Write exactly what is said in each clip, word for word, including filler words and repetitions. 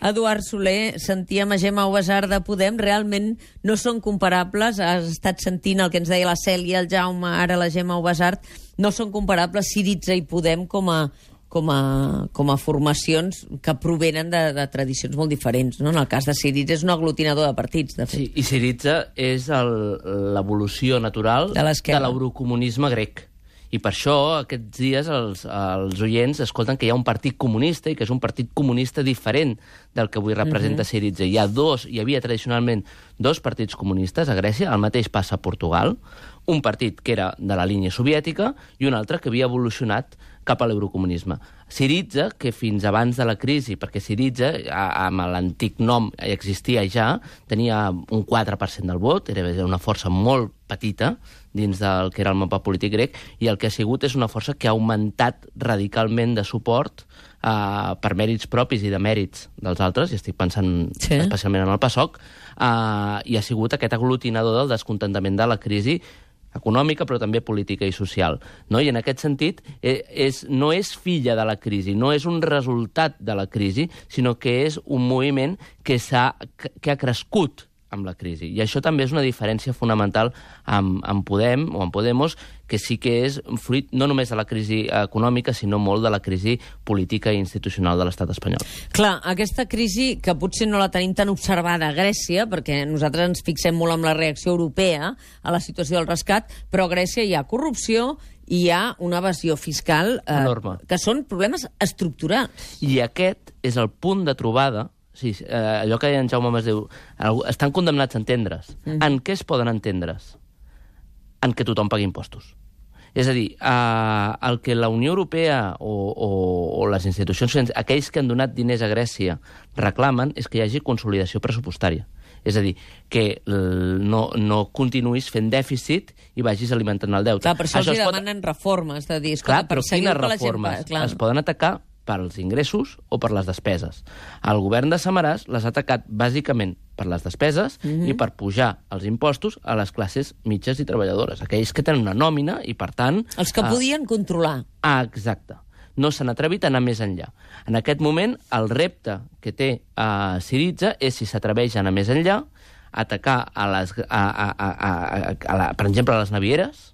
Eduard Soler, sentíem a Gemma Ubasart de Podem, realment no són comparables, has estat sentint el que ens deia la Cèlia, el Jaume, ara la Gemma Ubasart, no són comparables Syriza i Podem com a, com a, com a formacions que provenen de, de tradicions molt diferents, no? En el cas de Syriza és un aglutinador de partits, de fet. Sí, i Syriza és l'evolució natural de l'eurocomunisme grec. I per això, aquests dies, els, els oients escolten que hi ha un partit comunista i que és un partit comunista diferent del que avui representa uh-huh. Syriza. Hi ha dos, hi havia tradicionalment dos partits comunistes a Grècia, el mateix passa a Portugal, un partit que era de la línia soviètica i un altre que havia evolucionat cap a l'eurocomunisme. Syriza, que fins abans de la crisi, perquè Syriza, amb l'antic nom, existia ja, tenia un quatre per cent del vot, era una força molt petita dins del que era el mapa polític grec, i el que ha sigut és una força que ha augmentat radicalment de suport eh, per mèrits propis i de mèrits dels altres, i estic pensant sí. especialment en el PASOK, eh, i ha sigut aquest aglutinador del descontentament de la crisi econòmica, però també política i social. No? I en aquest sentit, eh, és, no és filla de la crisi, no és un resultat de la crisi, sinó que és un moviment que, s'ha, que ha crescut amb la crisi. I això també és una diferència fonamental amb, amb Podem o amb Podemos, que sí que és fruit no només de la crisi econòmica, sinó molt de la crisi política i institucional de l'estat espanyol. Clar, aquesta crisi, que potser no la tenim tan observada a Grècia, perquè nosaltres ens fixem molt en la reacció europea a la situació del rescat, però a Grècia hi ha corrupció, hi ha una evasió fiscal eh, enorme, que són problemes estructurals. I aquest és el punt de trobada. Sí, eh, allò que deia en Jaume Masdeu, estan condemnats a entendre's. Mm. En què es poden entendre's? En què tothom pagui impostos. És a dir, eh, el que la Unió Europea o, o, o les institucions, aquells que han donat diners a Grècia, reclamen és que hi hagi consolidació pressupostària. És a dir, que no, no continuïs fent dèficit i vagis alimentant el deute. Clar, per això, això els demanen pot... reformes. De dir, clar, però quines reformes? Gent... Es poden atacar pels ingressos o per les despeses. El govern de Samaràs les ha atacat bàsicament per les despeses mm-hmm. i per pujar els impostos a les classes mitges i treballadores, aquells que tenen una nòmina i, per tant... Els que eh... podien controlar. Ah, exacte. No s'han atrevit a anar més enllà. En aquest moment, el repte que té eh, Syriza és, si s'atreveix a anar més enllà, atacar, a les, a, a, a, a, a la, per exemple, a les navieres,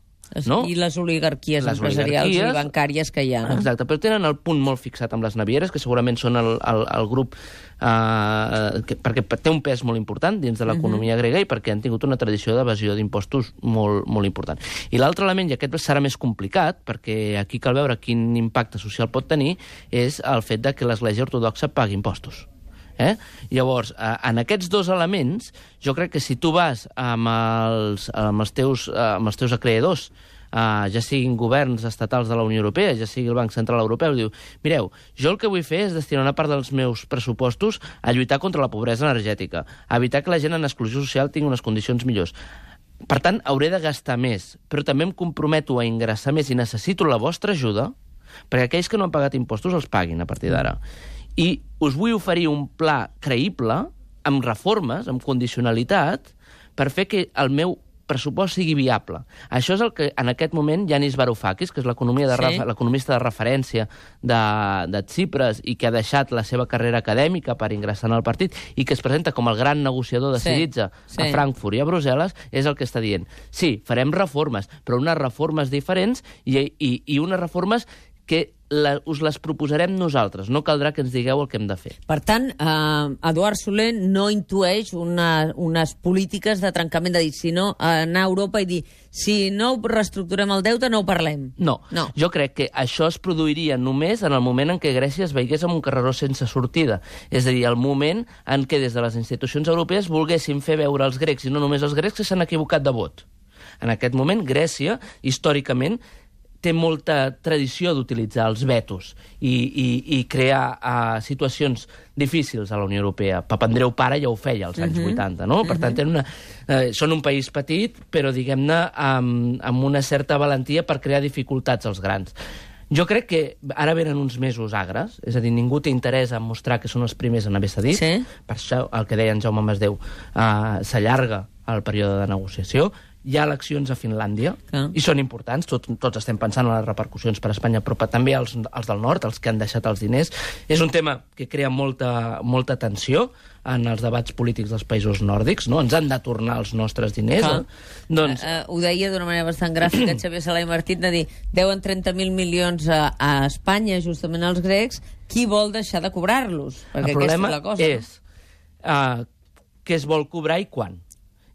no? I les oligarquies les empresarials oligarquies, i bancàries que hi ha. No? Exacte, però tenen el punt molt fixat amb les navieres, que segurament són el, el, el grup eh, que, perquè té un pes molt important dins de l'economia uh-huh. grega i perquè han tingut una tradició d'evasió d'impostos molt, molt important. I l'altre element, i aquest serà més complicat, perquè aquí cal veure quin impacte social pot tenir, és el fet de que l'Església Ortodoxa pagui impostos. Eh? Llavors, eh, en aquests dos elements, jo crec que si tu vas amb els, amb els, teus, amb els teus acreedors, eh, ja siguin governs estatals de la Unió Europea, ja sigui el Banc Central Europeu, diu, mireu, jo el que vull fer és destinar una part dels meus pressupostos a lluitar contra la pobresa energètica, a evitar que la gent en exclusió social tingui unes condicions millors. Per tant, hauré de gastar més, però també em comprometo a ingressar més i necessito la vostra ajuda perquè aquells que no han pagat impostos els paguin a partir d'ara. I us vull oferir un pla creïble, amb reformes, amb condicionalitat, per fer que el meu pressupost sigui viable. Això és el que en aquest moment Yanis Varoufakis, que és l'economista de referència de, de Tsipras i que ha deixat la seva carrera acadèmica per ingressar en el partit i que es presenta com el gran negociador de Syriza sí, sí. a Frankfurt i a Brussel·les, és el que està dient. Sí, farem reformes, però unes reformes diferents i, i, i unes reformes que la, us les proposarem nosaltres. No caldrà que ens digueu el que hem de fer. Per tant, eh, Eduard Soler no intueix una, unes polítiques de trencament de dir, sinó anar a Europa i dir si no reestructurem el deute no ho parlem. No. no, jo crec que això es produiria només en el moment en què Grècia es veiés amb un carreró sense sortida. És a dir, el moment en què des de les institucions europees volguessin fer veure als grecs, i no només als grecs, que s'han equivocat de vot. En aquest moment, Grècia, històricament, té molta tradició d'utilitzar els vetos i, i, i crear uh, situacions difícils a la Unió Europea. Papandreou pare ja ho feia als anys uh-huh. vuitanta, no? Per uh-huh. tant, tenen una, uh, són un país petit, però, diguem-ne, amb, amb una certa valentia per crear dificultats als grans. Jo crec que ara venen uns mesos agres, és a dir, ningú té interès en mostrar que són els primers en haver cedit. Sí. Per això, el que deia en Jaume Masdeu, uh, s'allarga el període de negociació. hi ha eleccions a Finlàndia, ah. i són importants, Tot, tots estem pensant en les repercussions per a Espanya, però també els, els del nord, els que han deixat els diners. És un tema que crea molta, molta tensió en els debats polítics dels països nòrdics, no? Ens han de tornar els nostres diners. Ah. Eh? Doncs... Uh, uh, ho deia d'una manera bastant gràfica Xavier Sala i Martín, de dir, deuen trenta mil milions a, a Espanya, justament als grecs, qui vol deixar de cobrar-los? Perquè el problema aquesta és la cosa. és uh, què es vol cobrar i quan.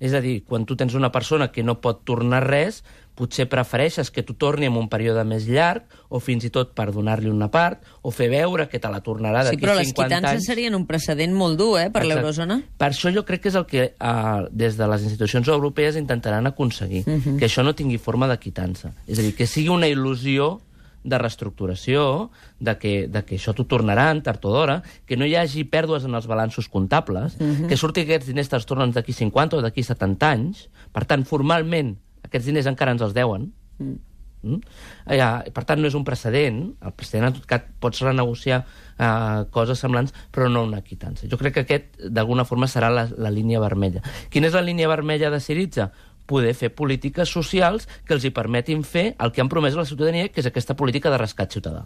És a dir, quan tu tens una persona que no pot tornar res, potser prefereixes que tu torni en un període més llarg, o fins i tot per donar-li una part, o fer veure que te la tornarà d'aquí cinquanta anys. Sí, però les cinquanta quitances anys. serien un precedent molt dur, eh, per l'eurozona. Per això jo crec que és el que uh, des de les institucions europees intentaran aconseguir, uh -huh. que això no tingui forma de quitança. És a dir, que sigui una il·lusió de reestructuració, de que, de que això t'ho tornaran tard o d'hora, que no hi hagi pèrdues en els balanços comptables, uh -huh. que surti que aquests diners te'ls tornen d'aquí cinquanta o d'aquí setanta anys. Per tant, formalment, aquests diners encara ens els deuen. Mm. Mm? Ja, per tant, no és un precedent. El precedent, en tot cas, pots renegociar uh, coses semblants, però no una quitança. Jo crec que aquest, d'alguna forma, serà la, la línia vermella. Quina és la línia vermella de Syriza? Poder fer polítiques socials que els hi permetin fer el que han promès a la ciutadania, que és aquesta política de rescat ciutadà.